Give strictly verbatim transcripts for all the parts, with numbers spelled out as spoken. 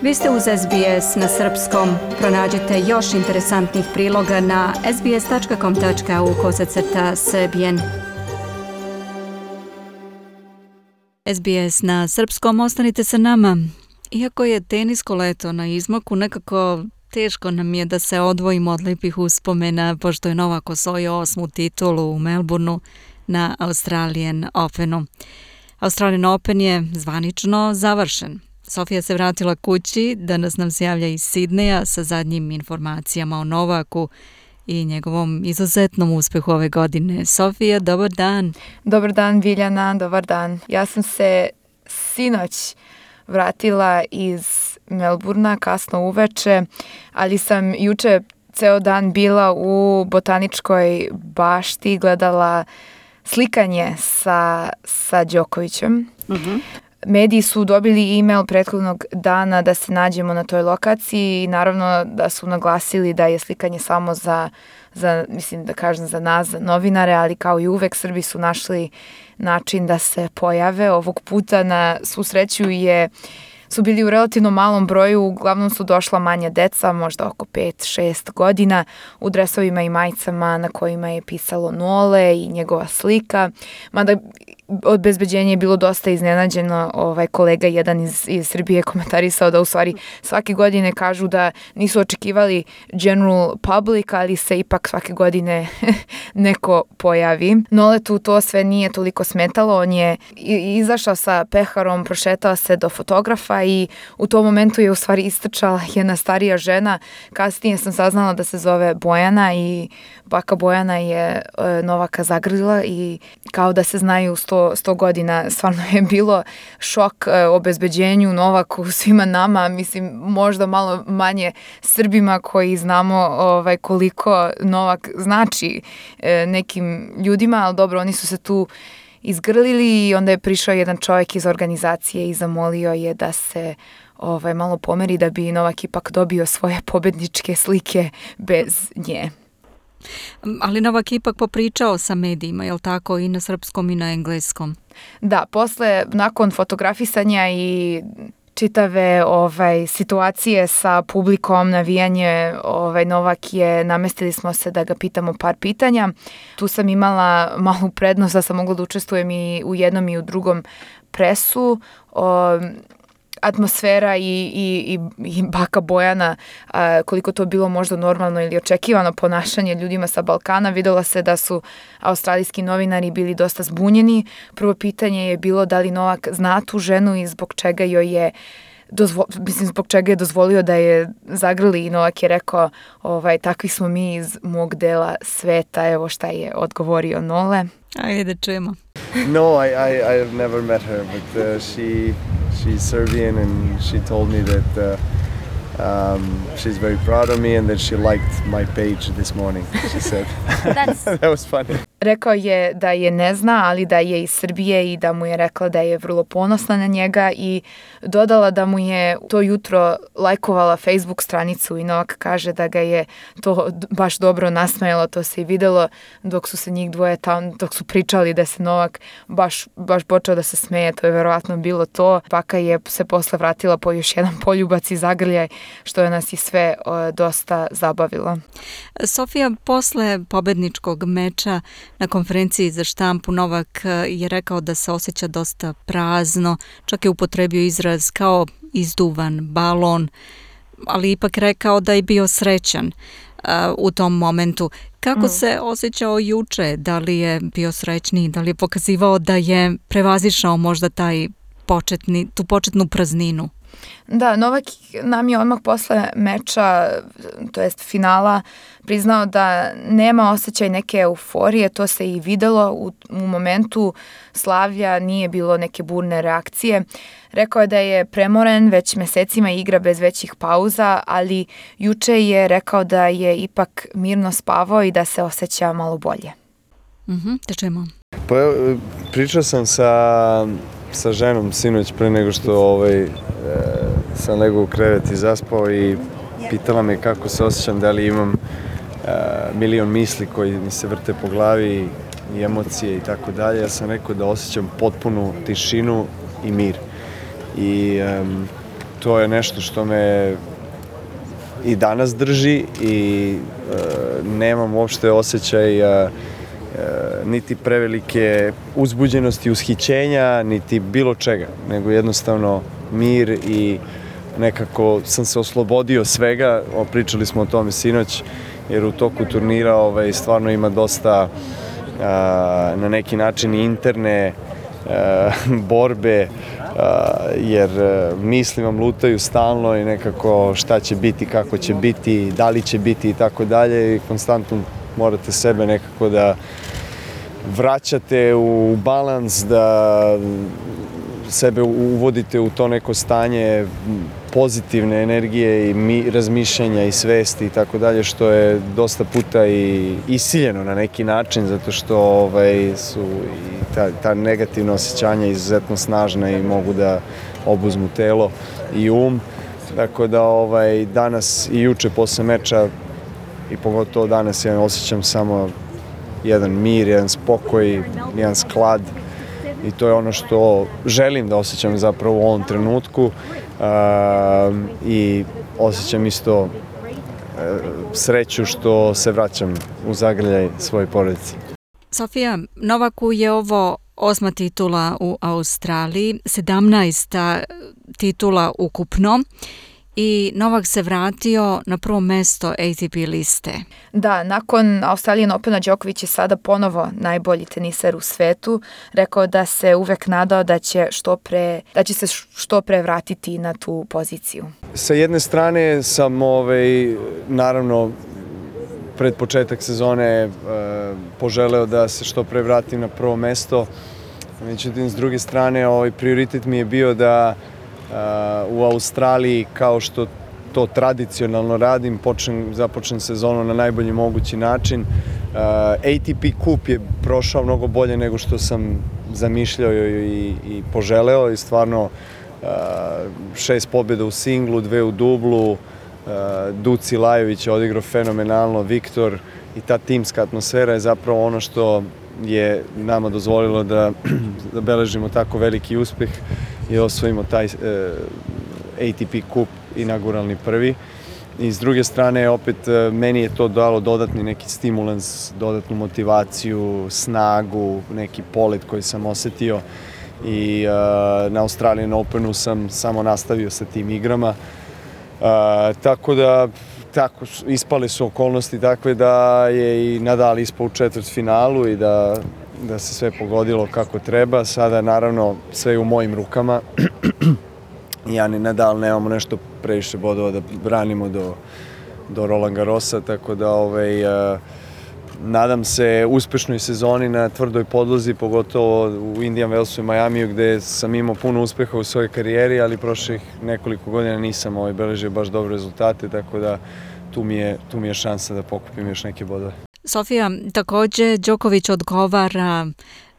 Vi ste uz S B S na srpskom. Pronađite još interesantnih priloga na sbs.com tačka au kosacrta srbijen. S B S na srpskom, ostanite sa nama. Iako je tenisko leto na izmaku, nekako teško nam je da se odvojimo od lepih uspomena, pošto je Novak osvojio osmu titulu u Melbourneu na Australian Openu. Australian Open je zvanično završen. Sofija se vratila kući, danas nam se javlja iz Sidneja sa zadnjim informacijama o Novaku i njegovom izuzetnom uspehu ove godine. Sofija, dobar dan. Dobar dan, Viljana, dobar dan. Ja sam se sinoć vratila iz Melbournea kasno uveče, ali sam juče ceo dan bila u botaničkoj bašti, gledala slikanje sa, sa Đokovićem. Uh-huh. Mediji su dobili e-mail prethodnog dana da se nađemo na toj lokaciji i naravno da su naglasili da je slikanje samo za, za mislim da kažem za nas, za novinare, ali kao i uvek Srbi su našli način da se pojave. Ovog puta na svu sreću je su bili u relativno malom broju, uglavnom su došla manja deca, možda oko pet šest godina, u dresovima i majicama na kojima je pisalo Nole i njegova slika, mada obezbeđenje je bilo dosta iznenađeno. Ovaj kolega jedan iz, iz Srbije komentarisao da u stvari svake godine kažu da nisu očekivali general public, ali se ipak svake godine neko pojavi. Noletu to sve nije toliko smetalo, on je izašao sa peharom, prošetao se do fotografa i u tom momentu je u stvari istrčala jedna starija žena. Kasnije sam saznala da se zove Bojana i baka Bojana je e, Novaka zagrlila i kao da se znaju sto, sto godina. Stvarno je bilo šok e, obezbeđenju, Novaku, svima nama, mislim možda malo manje Srbima koji znamo ovaj, koliko Novak znači e, nekim ljudima, ali dobro, oni su se tu izgrlili i onda je prišao jedan čovjek iz organizacije i zamolio je da se ovaj, malo pomeri da bi Novak ipak dobio svoje pobedničke slike bez nje. Ali Novak ipak popričao sa medijima, je li tako, i na srpskom i na engleskom? Da, posle, nakon fotografisanja i čitave ovaj, situacije sa publikom, navijanje, ovaj, Novak je, namestili smo se da ga pitamo par pitanja. Tu sam imala malu prednost da sam mogla da učestvujem i u jednom i u drugom presu. O, atmosfera i, i, i baka Bojana, a, koliko to bilo možda normalno ili očekivano ponašanje ljudima sa Balkana, videla se da su australijski novinari bili dosta zbunjeni. Prvo pitanje je bilo da li Novak zna tu ženu i zbog čega joj je Dozvo, mislim, zbog čega je dozvolio da je zagrli i Novak je rekao ovaj, takvi smo mi iz mog dela sveta, evo šta je odgovorio Nole. Ajde da čujemo. No, I, I, I've never met her, but uh, she, she's Serbian and she told me that uh, um, she's very proud of me and that she liked my page this morning, she said. That's... That was funny. Rekao je da je ne zna, ali da je iz Srbije i da mu je rekla da je vrlo ponosna na njega i dodala da mu je to jutro lajkovala Facebook stranicu i Novak kaže da ga je to baš dobro nasmejalo, to se i videlo dok su se njih dvoje tamo, dok su pričali da se Novak baš, baš počeo da se smeje, to je verovatno bilo to. Baka je se posle vratila po još jedan poljubac i zagrljaj, što je nas i sve o, dosta zabavilo. Sofija, posle pobedničkog meča na konferenciji za štampu Novak je rekao da se osjeća dosta prazno, čak je upotrebio izraz kao izduvan balon, ali ipak rekao da je bio srećan uh, u tom momentu. Kako mm. se osjećao juče? Da li je bio srećniji? Da li je pokazivao da je prevazišao možda taj početni, tu početnu prazninu? Da, Novak nam je odmah posle meča, to jest finala, priznao da nema osjećaj neke euforije, to se i videlo u, u momentu slavlja, nije bilo neke burne reakcije. Rekao je da je premoren, već mesecima igra bez većih pauza, ali juče je rekao da je ipak mirno spavao i da se osjeća malo bolje. Mhm, te čujemo. Pa pričao sam sa, sa ženom sinoć pre nego što ovaj, e, sam legao u krevet i zaspao i pitala me kako se osjećam, da li imam e, milion misli koji mi se vrte po glavi i emocije i tako dalje. Ja sam rekao da osjećam potpunu tišinu i mir. I um, to je nešto što me i danas drži i e, nemam uopšte osjećaj e, niti prevelike uzbuđenosti, ushićenja, niti bilo čega, nego jednostavno mir i nekako sam se oslobodio svega. Pričali smo o tome sinoć, jer u toku turnira ovaj, stvarno ima dosta a, na neki način interne a, borbe, a, jer misli vam lutaju stalno i nekako šta će biti, kako će biti, da li će biti i tako dalje i konstantno morate sebe nekako da vraćate u balans, da sebe uvodite u to neko stanje pozitivne energije i mi, razmišljanja i svesti i tako dalje, što je dosta puta i isiljeno na neki način, zato što ovaj, su i ta, ta negativna osjećanja izuzetno snažna i mogu da obuzmu telo i um. Tako da ovaj, danas i juče posle meča i pogotovo danas ja osjećam samo jedan mir, jedan spokoj, jedan sklad i to je ono što želim da osjećam zapravo u ovom trenutku uh, i osjećam isto uh, sreću što se vraćam u zagrljaj svoje porodice. Sofija, Novaku je ovo osma titula u Australiji, sedamnaesta titula ukupno. I Novak se vratio na prvo mesto A T P liste. Da, nakon Australian Opena Đoković je sada ponovo najbolji teniser u svetu. Rekao da se uvek nadao da će, što pre, da će se što pre vratiti na tu poziciju. Sa jedne strane sam ovaj, naravno pred početak sezone e, poželeo da se što pre vratim na prvo mesto. Međutim, s druge strane, ovaj, prioritet mi je bio da Uh, u Australiji, kao što to tradicionalno radim, počnem, započnem sezonu na najbolji mogući način. Uh, A T P Cup je prošao mnogo bolje nego što sam zamišljao i, i poželeo i stvarno uh, šest pobjeda u singlu, dve u dublu, uh, Duci Lajović je odigrao fenomenalno, Viktor i ta timska atmosfera je zapravo ono što je nama dozvolilo da, da beležimo tako veliki uspeh i osvojimo taj e, A T P Cup inauguralni prvi. I s druge strane, opet, e, meni je to dalo dodatni neki stimulans, dodatnu motivaciju, snagu, neki polet koji sam osetio i e, na Australian Openu sam samo nastavio sa tim igrama. E, tako da, tako, ispale su okolnosti takve da je i Nadal ispao u četvrtfinalu i da da se sve pogodilo kako treba. Sada, naravno, sve je u mojim rukama. Ja ni Nadal nemamo nešto previše bodova da branimo do, do Roland Garrosa, tako da ovaj, uh, nadam se uspešnoj sezoni na tvrdoj podlozi, pogotovo u Indian Wellsu i Majamiju, gde sam imao puno uspeha u svojoj karijeri, ali prošlih nekoliko godina nisam ovaj, beležio baš dobre rezultate, tako da tu mi je, tu mi je šansa da pokupim još neke bodove. Sofija, takođe Đoković odgovara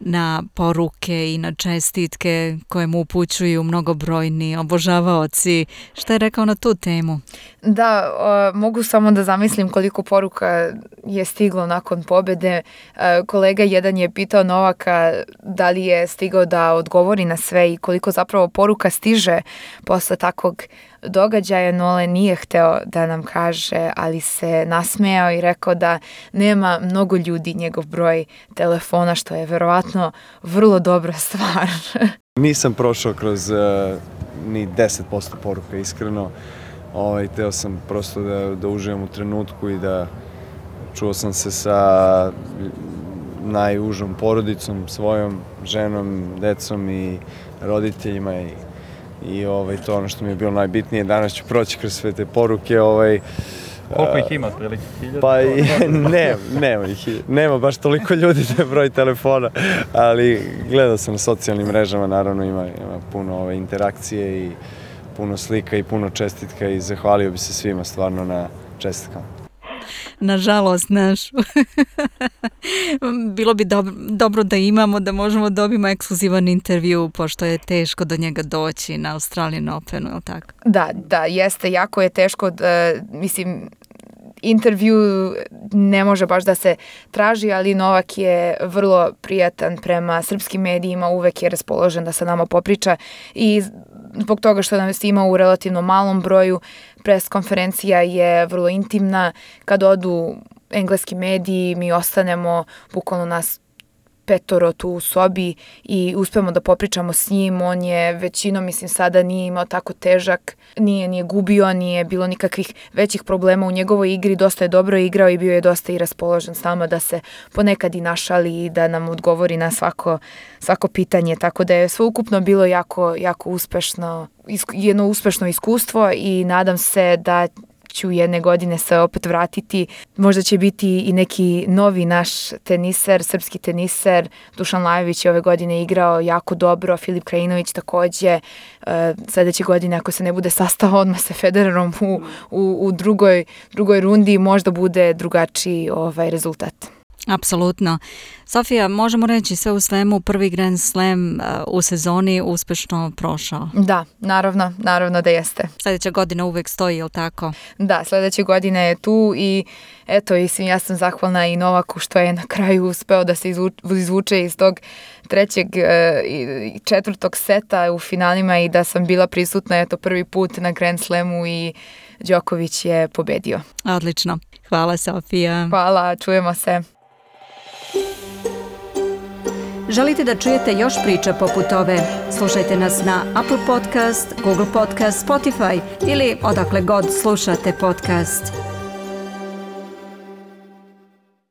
na poruke i na čestitke koje mu upućuju mnogobrojni obožavaoci. Šta je rekao na tu temu? Da, o, mogu samo da zamislim koliko poruka je stiglo nakon pobede. E, kolega jedan je pitao Novaka da li je stigao da odgovori na sve i koliko zapravo poruka stiže posle takvog događaja. Nole nije hteo da nam kaže, ali se nasmejao i rekao da nema mnogo ljudi njegov broj telefona, što je verovatno vrlo dobra stvar. Nisam prošao kroz uh, ni deset posto poruka, iskreno. Ovaj, teo sam prosto da, da uživam u trenutku i da čuo sam se sa najužom porodicom, svojom ženom, decom i roditeljima i, i ovaj, to ono što mi je bilo najbitnije. Danas ću proći kroz sve te poruke. Ovaj, Koliko ih ima, otprilike hiljada? Pa ne, nema ih, nema baš toliko ljudi da je broj telefona, ali gledao sam na socijalnim mrežama, naravno ima, ima puno ove interakcije i puno slika i puno čestitka i zahvalio bi se svima stvarno na čestitkama. Nažalost, naš. Bilo bi dobro, dobro da imamo, da možemo dobiti ekskluzivan intervju, pošto je teško do njega doći na Australian Openu, je li tako? Da, da, jeste, jako je teško, da, mislim, intervju ne može baš da se traži, ali Novak je vrlo prijatan prema srpskim medijima, uvek je raspoložen da sa nama popriča i zbog toga što nas ima u relativno malom broju. Pres konferencija je vrlo intimna. Kad odu engleski mediji, mi ostanemo bukvalno nas petoro tu u sobi i uspemo da popričamo s njim. On je većinom, mislim, sada nije imao tako težak, nije, nije gubio, nije bilo nikakvih većih problema u njegovoj igri, dosta je dobro igrao i bio je dosta i raspoložen s nama da se ponekad i našali i da nam odgovori na svako, svako pitanje, tako da je sveukupno bilo jako, jako uspešno, jedno uspešno iskustvo i nadam se da ću jedne godine se opet vratiti. Možda će biti i neki novi naš teniser, srpski teniser. Dušan Lajović je ove godine igrao jako dobro, Filip Krajinović takođe. E, sledeće godine, ako se ne bude sastao odmah sa Federerom u, u, u drugoj, drugoj rundi, možda bude drugačiji ovaj rezultat. Apsolutno. Sofija, možemo reći sve u svemu, prvi Grand Slam uh, u sezoni uspešno prošao. Da, naravno, naravno da jeste. Sljedeća godina uvek stoji, je li tako? Da, sljedeće godine je tu i eto, mislim, ja sam zahvalna i Novaku što je na kraju uspeo da se izvuče iz tog trećeg i četvrtog seta u finalima i da sam bila prisutna eto prvi put na Grand Slamu i Đoković je pobedio. Odlično. Hvala, Sofija. Hvala, čujemo se. Želite da čujete još priča poput ove? Slušajte nas na Apple Podcast, Google Podcast, Spotify ili odakle god slušate podcast.